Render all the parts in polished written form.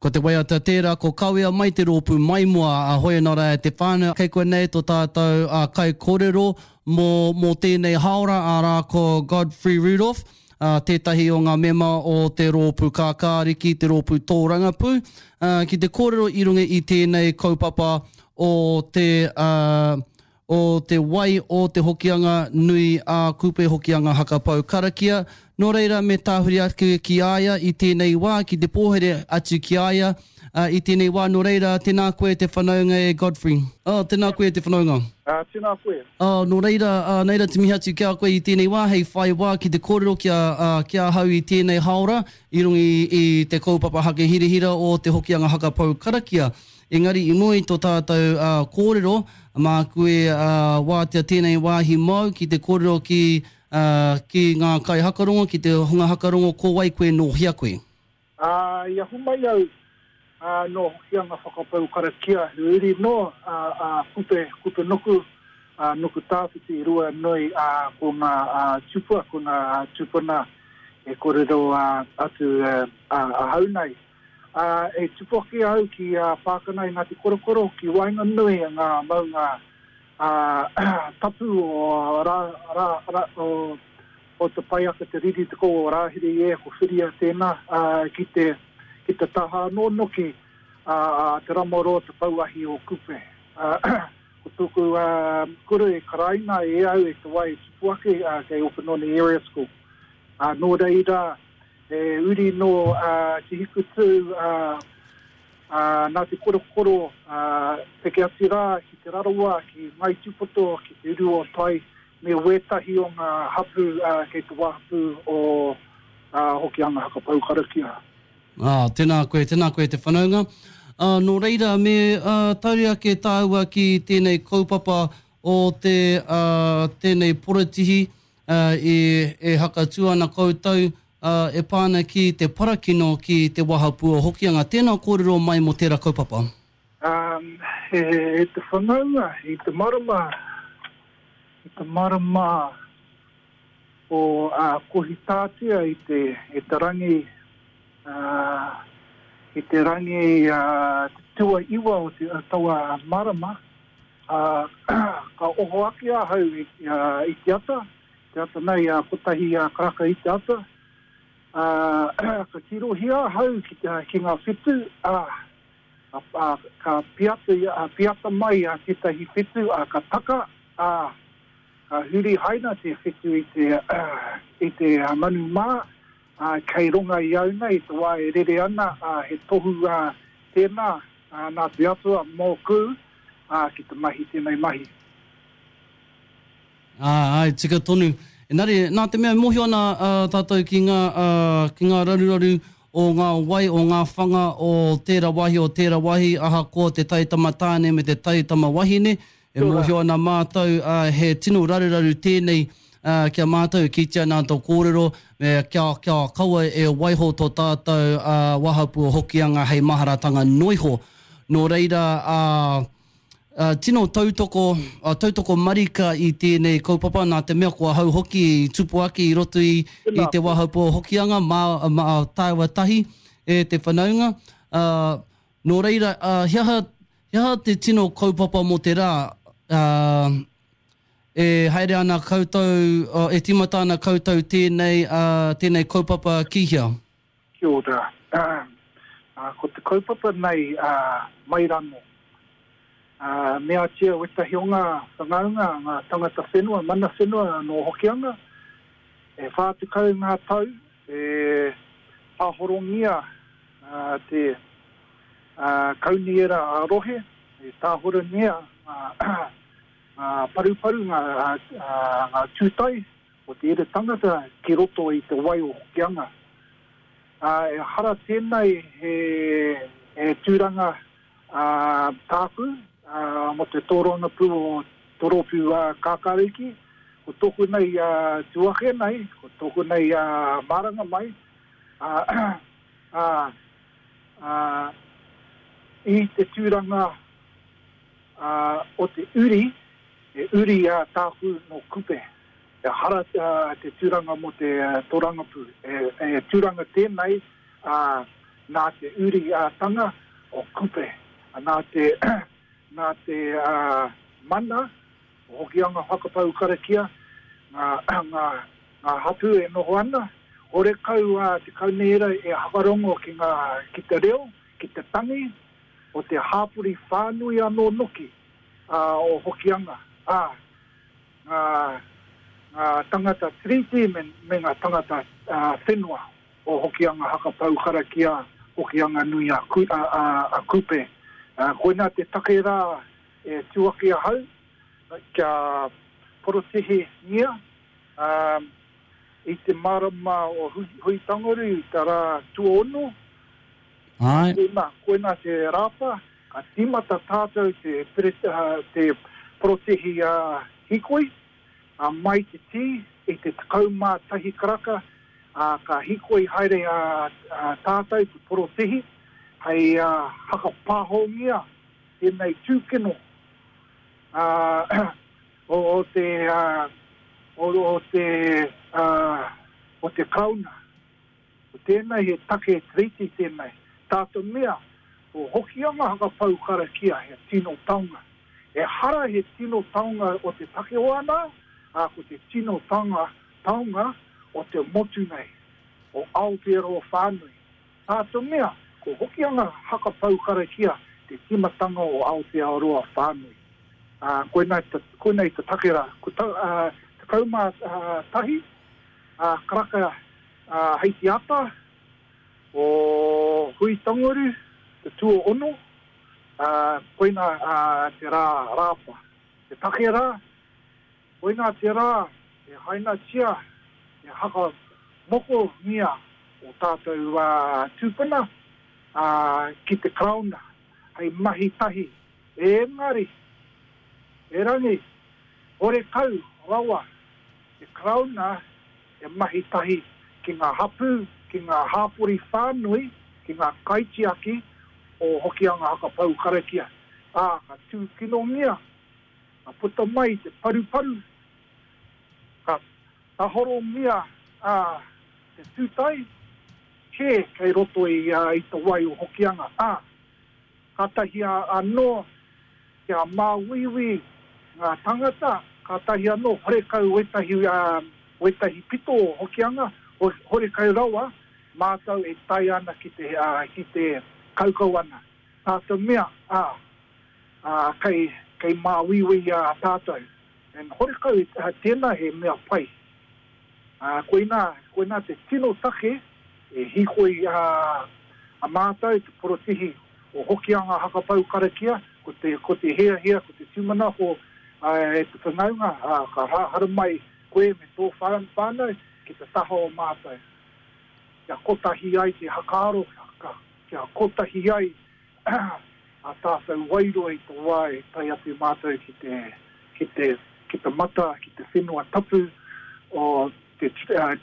Ko te waiata tērā ko Kawea mai te rōpū maimoa a Hoenara e te whānau. Kei konei tō tātou kaikorero mō, mō tēnei hāora, arā ko Godfrey Rudolph, tētahi o ngā mema o te rōpū kākāriki, te rōpū tōrangapū, ki te kōrero i runga i tēnei kaupapa o te, o te wai o te Hokianga nui a Kupe Hokianga Haka Pou Karakia, nō reira me tāhuri ake ki a ia i tēnei wā, ki te pōhere atu ki a ia i tēnei wā, nō reira, tēnā koe te whanaunga e Godfrey. Oh, tēnā koe te whanaunga. Ā, tēnā koe. Oh, nō reira, ā, nei rā te mihi atu ki a koe i tēnei wā, hei whai wā ki te kōrero ki a, ā, ki ahau i tēnei hāora, i runga i, i te kaupapa hakahirahira o te Hokianga Haka Pou Karakia. Engari i mua i tō tātou kōrero, māku e wātea tēnei wāhi māu ki te kōrero ki, ki ngā kaihakarongo, ki te hunga hakarongo ko wai koe, nō hea koe? Ā, i ahu mai au, ā, nō Hokianga Whakapau Karakia, he uri nō a Kupe, Kupenuku, ā, Nukutāwhiti, Ruanui, ā, ko ngā tupua, ko ngā tupuna e kōrero atu ahau nei. Ā, e tupu ake au ki Pākana i Ngāti Korokoro, ki waenganui i ngā maunga tapu o Rā, Rā, Rā, o, o Te Paiaka, Te Riri, Te Kou o Rāhiri e, ko Whiria tēnā, ā, ki te, ki te taha anō noki, ā, a Te Ramaroa, Te Pouahi o Kupe. Ā, ko tōku, ā, kura e karaina e au e te wā e tupu ake, ā, kei Opononi Area School. Ā, nō reira, He uri nō Te Hikutū, nā Te Korokoro, peke atu rā ki Te Rarawa, ki Ngāi Tūpoto, ki Te Uru o Tai, me wētahi o ngā hapū kei te wāhapū o Hokianga Haka Pou Karakia. Ā, tēnā koe, tēnā koe te whanaunga. Ā, nō reira, me tauri ake tāua ki tēnei kaupapa o te, ā, tēnei porotihī, ā, e, e hakatū ana koutou, ā, e pā ana ki te parakino ki te wahapū o Hokianga. Tēnā kōrero mai mō tērā kaupapa. Ā, e, e te whanaunga, i te marama, i te marama o, ā, Kohitātea i te, i te rangi, ā, i te rangi, ā, te tuaiwa o te, o taua marama, Ā, ka oho ake ahau i te ata, te ata nei a kotahi karaka i te ata, ā, ka tirohia ahau ki te, ki ngā whetū, ā, ā, ka piata, piata mai tētahi whetū, ā, ka taka, ā, ka huri haina te whetū i te, i te manu mā, ā, kei runga i au nei i te wā e rere ana, ā, he tohu, ā, tēnā, Ā, nā te Atua mōku, ā, ki te mahi tēnei mahi. Ā, āe, tika tonu. Engari, nā te mea e mōhio ana ā, tātou ki ngā, ā, ki ngā raruraru o ngā wai, o ngā whanga o tērā wāhi, o tērā wāhi, ahakoa te taitama tāne me te taitama wahine, E mōhio ana mātou, ā, he tino raruraru tēnei, ā, ki a mātou, e kītia ana tō kōrero, me, kia, kia kaua e waiho tō tātou, ā, wahapū o Hokianga hei maharatanga noiho. Nō reira, ā, ā, tino tautoko, ā, tautoko marika i tēnei kaupapa, nā te mea ko ahau hoki i tupu ake i roto i, i te wahapū o Hokianga, mā, mā tāua tahi e te whanaunga, ā, nō reira, ā, he aha, He aha te tino kaupapa mō te rā, ā, e haere ana koutou, e tīmata ana koutou tēnei, ā, tēnei kaupapa ki hea? Kia ora. Ā, ko te kaupapa nei, ā, mai rano. Ā, meatia wetahi o ngā whanaunga, ngā tangata whenua, mana whenua nō Hokianga, e 40 ngā tau e pāhorongia te Kaunihera ā-rohe, e tāhorangia ngā paruparu, ngā tūtai o te ere tangata ki roto i te wai o Hokianga. Ehara tēnei he tūranga tāku mō te tōrangapū o Toropi Kākāriki, ko tōku nei tū ake nei, ko tōku nei maranga mai, ā, ā, i te tūranga, ā, o te uri, he uri, ā, tāku nō Kupe. Ehara, ā, te tūranga mō te tōrangapū. He, he tūranga tēnei, ā, Nā te uri ā tanga o Kupe, nā te, nā te mana o Hokianga Whakapau Karakia, ngā, ngā, ngā hapū e noho ana, horekau a te kaunihera e hakarongo ki ngā, ki te reo, ki te tangi o te hāpori whānui anō noki o Hokianga, ā, ngā, ngā tangata Tiriti me, me ngā tangata whenua. O Hokianga Hakapau Karakia, Hokianga Nui a Kupe. Koinā te take rā e tū ake ahau kia porotihingia i te marama o Huitanguru i te rā tuaono. Koinā, koinā te rāpa, ka tīmata tātou te porotihi hīkoi. Ā, mai te tī i te 11 karaka, ā, ka hīkoi haere a tātou te porotēhi hei hakapāhongia tēnei tūkino, ā, o te, o te, o te Karauna. Ko tēnei he take Tiriti tēnei. Tā te mea, ko Hokianga Hakapau Karakia he tino taonga. Ehara he tino taonga o te takiwā nā, ā, ko te tino taonga, taonga o te motu nei, o Aotearoa whānui. Tā te mea, ko Hokianga Hakapau Karakia te tīmatanga o Aotearoa whānui. Ā, koinā, koinei te take rā. Ko ta, ā, 11, ā, karaka Ā, hei te ata o Hui-tanguru, te tuaono, ā, koinā te rā Rāapa. Te take rā, koinā te rā e hainatia, e hakamokongia o tātou tūpuna, ā, ki te Karauna hei mahi tahi. Engari, erangi, horekau rawa te Karauna e mahi tahi ki ngā hapū, ki ngā hāpori whānui, ki ngā kaitiaki o Hokianga Hakapau Karakia, ā, ka tūkinongia, ka puta mai te paruparu, ka tahorongia ā, te tūtai kē kei roto i, i te wai o Hokianga, ā, Kātahi anō kia māuiui ngā tangata, kātahi anō horekau wētahi, wētahi pito o Hokianga, horekau rawa mātou e tae ana ki te, ki te kaukau ana. Tā te mea, ā, ā, kei, kei māuiui a tātou. And horekau tēnā he mea pai. Ā, koinā, koinā te tino take e hīkoi a, a mātou, te porotihi o Hokianga Hakapau Karakia, ko te, ko te hiahia, ko te tūmanako e te whanaunga, ā, ka haramai koe me tō whānau ki te taha o mātou. Kia kotahi ai te hakaaro, kia kotahi ai ā tātou wairua i te wā e tae atu mātou ki te, ki te, ki te mata, ki te whenua tapu o te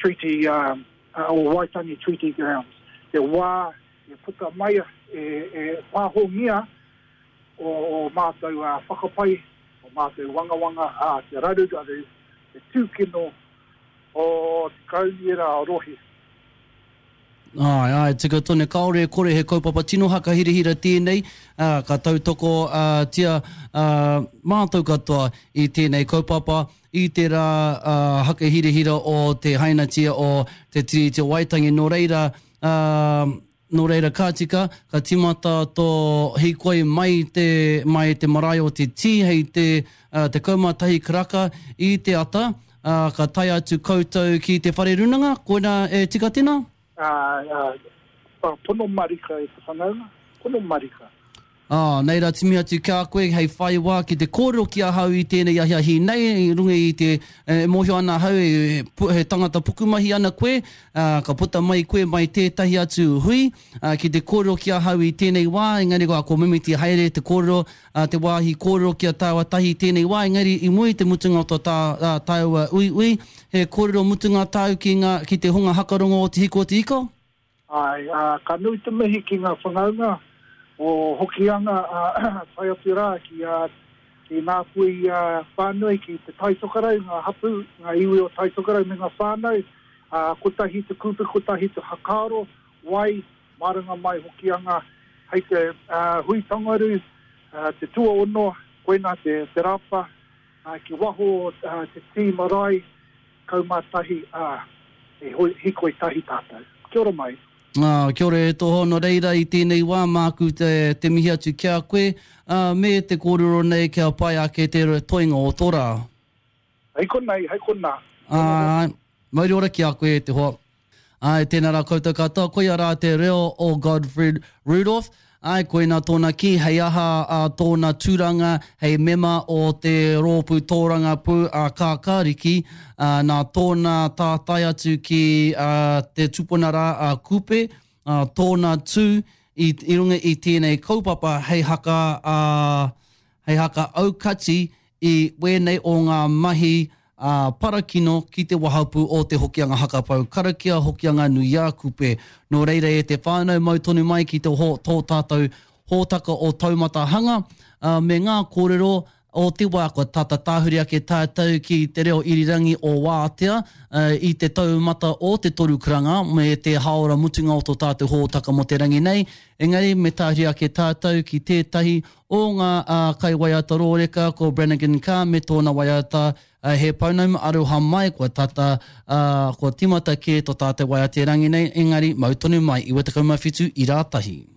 Treaty, o Waitangi Treaty Grounds. Te wā e puta mai, e, e pāhongia o, o mātou whakapae, o mātou wangawanga, ā, te raruraru, te tūkino o te Kaunihera Rohe. Āe, āe, tika tonu, kāore e kore he kaupapa tino hakahirahira tēnei, ā, ka tautoko tia mātou katoa i tēnei kaupapa, i te rā hakahirahira o te hainatia o Te Tiriti o Waitangi. Nō reira, ā, nō reira ka tika, ka tīmata tō hīkoi mai te, mai te marae o Te Tī hei te 11 karaka i te ata, Ā, ka tae atu koutou ki te whare runanga, koinā e tika tēnā? Ā, ā, pono marika e te whanaunga, pono marika. Ā, nei rā timi atu ki a koe hei whai wā ki te kōrero ki ahau i tēnei ahiahi nei, i runga i te, e mōhio ana ahau e, he tangata pukumahi ana koe, ā, ka puta mai koe mai tētahi atu hui, ā, ki te kōrero ki ahau i tēnei wā, engari ko mimiti haere te kōrero, ā, te wāhi kōrero ki a tāua tahi i tēnei wā, engari i mua i te mutunga o tō tā, ā, tāua uiui, he kōrero mutunga tāu ki ngā, ki te hunga hakarongo o Te Hiku o Te Ika? Āe, ā, ka nui te mihi ki ngā whanaunga o Hokianga, ā, tae atu rā ki, ā, ki ngā pui, ā, whānui, ki Te Tai Tokerau, ngā hapū, ngā iwi o Tai Tokerau me ngā whānau, ā, kotahi te kupu, kotahi te hakaaro, wai. Maranga mai Hokianga hei te Huitangaru, te tuaono, koina te rāpa, ki waho o te tī marae, 11, ā, e hikoi tahi tātou. Kia ora mai. Ā, kia ora e tō Nō reira i tēnei wā māku te, te mihi atu ki a koe, ā, me te kōrero nei kia pai ake te toenga o tō rā. Hei konei, hei konā. Āe, mauri ora ki a koe e te hoa. Āe, tēnā rā koutou katoa, koia rā te reo o Godfred Rudolph. Āe, koina tōna kī, hei aha a tōna tūranga hei mema o te rōpū tōrangapū a Kākāriki, ā, nā tōna tātai atu ki a te tupuna rā a Kupe, ā, tōna tū i, i runga i tēnei kaupapa hei haka, ā, hei haka aukati i wēnei o ngā mahi ā, parakino ki te wahapū o Te Hokianga Hakapau Karakia Hokianga Nui-ā-Kupe. Nō reira e te whānau mau tonu mai ki te ho, tō tātou hōtaka o Taumata Hanga, ā, me ngā kōrero o te wā kua tata tāhuri ake tātou ki te reo irirangi o Wātea, ā, i te taumata o te toru karanga me te hāora mutunga o tō tātou hōtaka mō te rangi nei, engari me tāhuri ake tātou ki tētahi O ngā kaiwaiata rōreka ko Brannigan Carr me tōna waiata He Pounamu Aroha Mai kua tata, kua timata kē to tātou waiata i rangi nei, engari mau tonu mai, 97 i rā tahi.